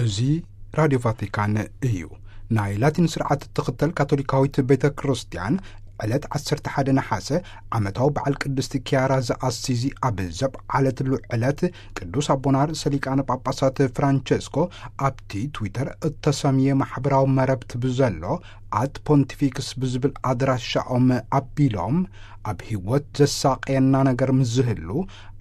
እዚ ራድዮ ቫቲካን እዩ። ናይ ላቲን ስርዓት እትኽተል ካቶሊካዊት ቤተ ክርስቲያን ዕለት ዓሰርተ ሓደ ነሓሰ ዓመታዊ በዓል ቅድስቲ ኪያራ ዘኣሲዚ ኣብ ዘብዓለትሉ ዕለት፣ ቅዱስ ኣቦና ርእሰ ሊቃነ ጳጳሳት ፍራንቸስኮ ኣብቲ ትዊተር እተሰምየ ማሕበራዊ መረብቲ ብዘሎ ኣት ፖንቲፊክስ ብዝብል ኣድራሻኦም ኣቢሎም፣ ኣብ ህይወት ዘሳቀየና ነገር ምስ ዝህሉ፣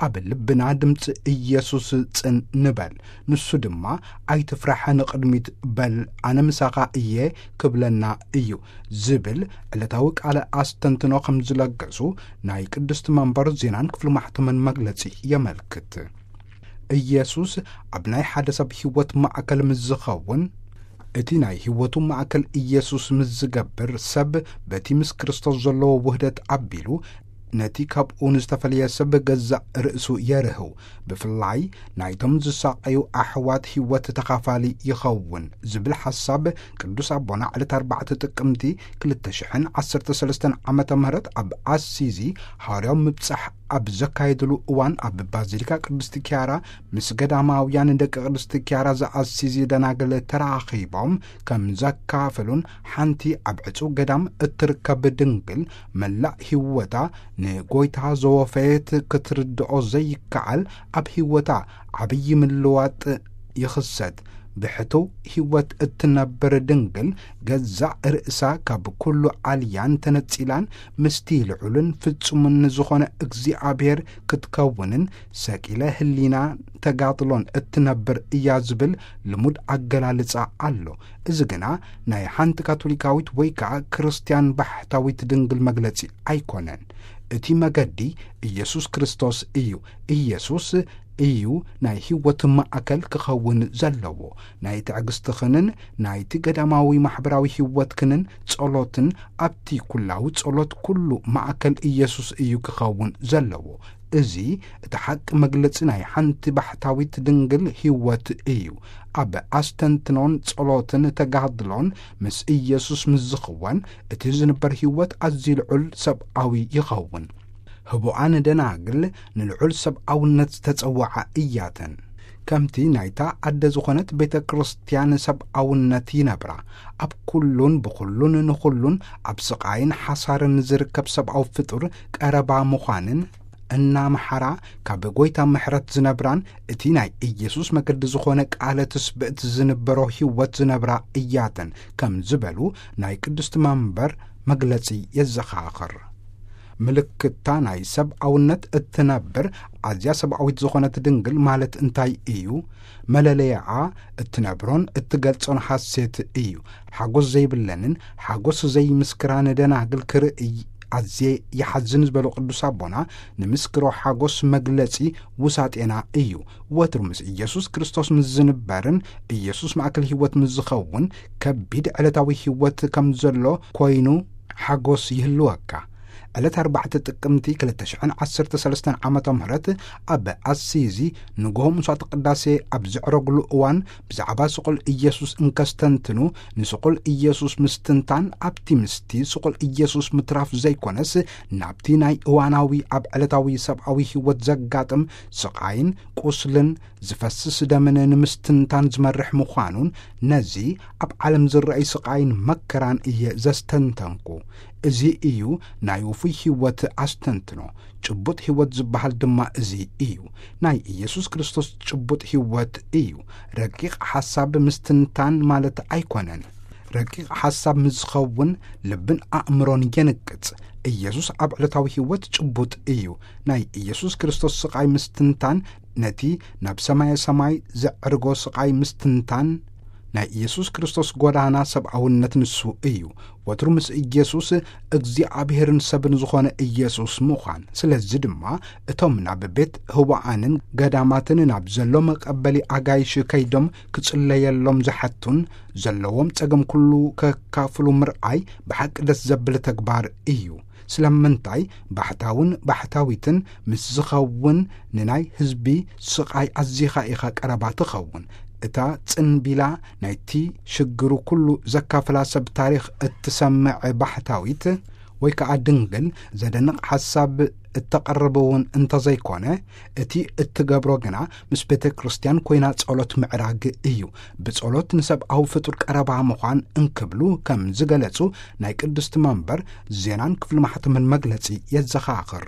ኣብ ልብና ድምፂ ኢየሱስ ጽን ንበል፣ ንሱ ድማ ኣይትፍራሕ፣ ንቕድሚት በል፣ ኣነ ምሳኻ እየ ክብለና እዩ ዝብል ዕለታዊ ቃለ ኣስተንትኖ ከም ዝለገሱ ናይ ቅድስቲ መንበር ዜናን ክፍሊ ማሕተምን መግለጺ የመልክት። ኢየሱስ ኣብ ናይ ሓደ ሰብ ህይወት ማእከል ምስ ዝኸውን፣ እቲ ናይ ህይወቱ ማእከል ኢየሱስ ምስ ዝገብር፣ ሰብ በቲ ምስ ክርስቶስ ዘለዎ ውህደት ኣቢሉ ነቲ ካብኡ ንዝተፈለየ ሰብ ገዛእ ርእሱ የርህው። ብፍላይ ናይቶም ዝሳቐዩ ኣሕዋት ህይወት ተኻፋሊ ይኸውን ዝብል ሓሳብ ቅዱስ ኣቦና ዕለት ኣርባዕተ ጥቅምቲ ክልተ ሽሕን ዓሰርተ ሰለስተን ዓመተ ምህረት ኣብ ኣሲዚ ሃዋርያዊ ምብጻሕ ኣብ ዘካየድሉ እዋን፣ ኣብ ባዚሊካ ቅድስቲ ኪያራ ምስ ገዳማውያን ደቂ ቅድስቲ ኪያራ ዘኣሲዚ ደናግል ተራኺቦም ከም ዘካፈሉን፣ ሓንቲ ኣብ ዕጹው ገዳም እትርከብ ድንግል መላእ ህይወታ ንጎይታ ዘወፈየት ክትርድኦ ዘይከኣል ኣብ ህይወታ ዓብዪ ምልዋጥ ይኽሰት። ብሕትው ህይወት እትነብር ድንግል ገዛእ ርእሳ ካብ ኩሉ ኣልያን ተነጺላን ምስቲ ልዑልን ፍጹምን ዝኾነ እግዚኣብሔር ክትከውንን ሰቂለ ህሊና ተጋድሎን እትነብር እያ ዝብል ልሙድ ኣገላልጻ ኣሎ። እዚ ግና ናይ ሓንቲ ካቶሊካዊት ወይ ከኣ ክርስትያን ባሕታዊት ድንግል መግለጺ ኣይኮነን። እቲ መገዲ ኢየሱስ ክርስቶስ እዩ። ኢየሱስ እዩ ናይ ህይወት ማእከል ክኸውን ዘለዎ። ናይ ትዕግስትኽንን ናይቲ ገዳማዊ ማሕበራዊ ህይወትክንን ጸሎትን ኣብቲ ኩላዊ ጸሎት ኩሉ ማእከል ኢየሱስ እዩ ክኸውን ዘለዎ። እዚ እቲ ሓቂ መግለጺ ናይ ሓንቲ ባሕታዊት ድንግል ህይወት እዩ። ኣብ ኣስተንትኖን ጸሎትን ተጋድሎን ምስ ኢየሱስ ምስ ዝኽወን፣ እቲ ዝንበር ህይወት ኣዝዩ ልዑል ሰብኣዊ ይኸውን። ህቡኣን ደናግል ንልዑል ሰብኣውነት ዝተጸውዓ እያተን። ከምቲ ናይታ ኣደ ዝኾነት ቤተ ክርስቲያን ሰብኣውነት ይነብራ። ኣብ ኩሉን ብኹሉን ንኹሉን ኣብ ስቓይን ሓሳርን ዝርከብ ሰብኣዊ ፍጡር ቀረባ ምዃንን እናመሓራ ካብ ጎይታ ምሕረት ዝነብራን እቲ ናይ ኢየሱስ መገዲ ዝኾነ ቃለ ትስብእት ዝንበሮ ህይወት ዝነብራ እያተን ከም ዝበሉ ናይ ቅድስቲ መንበር መግለጺ የዘኻኽር። ምልክታ ናይ ሰብኣውነት እትነብር ኣዝያ ሰብኣዊት ዝኾነት ድንግል ማለት እንታይ እዩ? መለለያኣ እትነብሮን እትገልጾን ሓሴት እዩ። ሓጎስ ዘይብለንን ሓጎስ ዘይምስክራን ደናግል ክርእይ ኣዝየ ይሓዝን ዝበሉ ቅዱስ ኣቦና፣ ንምስክሮ ሓጎስ መግለጺ ውሳጤና እዩ። ወትሩ ምስ ኢየሱስ ክርስቶስ ምስ ዝንበርን ኢየሱስ ማእከል ህይወት ምስ ዝኸውን፣ ከቢድ ዕለታዊ ህይወት ከም ዘሎ ኮይኑ ሓጎስ ይህልወካ። ዕለት ኣርባዕተ ጥቅምቲ ክልተ ሽሕን ዓሰርተ ሰለስተን ዓመተ ምህረት ኣብ ኣሲዚ ንግሆ ምሷት ቅዳሴ ኣብ ዘዕረግሉ እዋን፣ ብዛዕባ ስቑል ኢየሱስ እንከስተንትኑ፣ ንስቑል ኢየሱስ ምስትንታን ኣብቲ ምስቲ ስቑል ኢየሱስ ምትራፍ ዘይኮነስ፣ ናብቲ ናይ እዋናዊ ኣብ ዕለታዊ ሰብኣዊ ህይወት ዘጋጥም ስቓይን ቁስልን ዝፈስስ ደምን ንምስትንታን ዝመርሕ ምዃኑን፣ ነዚ ኣብ ዓለም ዝረኣይ ስቓይን መከራን እየ ዘስተንተንኩ። እዚ እዩ ናይ ውፉይ ህይወት ኣስተንትኖ። ጭቡጥ ህይወት ዝበሃል ድማ እዚ እዩ። ናይ ኢየሱስ ክርስቶስ ጭቡጥ ህይወት እዩ። ረቂቕ ሓሳብ ምስትንታን ማለት ኣይኮነን። ረቂቕ ሓሳብ ምስ ዝኸውን ልብን ኣእምሮን የንቅጽ። ኢየሱስ ኣብ ዕለታዊ ህይወት ጭቡጥ እዩ። ናይ ኢየሱስ ክርስቶስ ስቓይ ምስትንታን፣ ነቲ ናብ ሰማየ ሰማይ ዘዕርጎ ስቓይ ምስትንታን፣ ናይ ኢየሱስ ክርስቶስ ጎዳና ሰብኣውነት ንሱ እዩ። ወትሩ ምስ ኢየሱስ እግዚኣብሔርን ሰብን ዝኾነ ኢየሱስ ምዃን። ስለዚ ድማ እቶም ናብ ቤት ህዋኣንን ገዳማትን ናብ ዘሎ መቀበሊ ኣጋይሽ ከይዶም ክጽለየሎም ዝሓቱን ዘለዎም ጸገም ኩሉ ከካፍሉ ምርኣይ ብሓቂ ደስ ዘብል ተግባር እዩ። ስለምንታይ? ባሕታውን ባሕታዊትን ምስ ዝኸውን ንናይ ህዝቢ ስቓይ ኣዚኻ ኢኻ ቀረባ ትኸውን። እታ ጽንቢላ ናይቲ ሽግሩ ኩሉ ዘካፍላ ሰብ ታሪኽ እትሰምዕ ባሕታዊት ወይ ከኣ ድንግል ዘደንቕ ሓሳብ እተቐርብ እውን እንተዘይኮነ፣ እቲ እትገብሮ ግና ምስ ቤተ ክርስቲያን ኮይና ጸሎት ምዕራግ እዩ። ብጸሎት ንሰብኣዊ ፍጡር ቀረባ ምዃን እንክብሉ ከም ዝገለጹ ናይ ቅድስቲ መንበር ዜናን ክፍሊ ማሕተምን መግለጺ የዘኻኽር።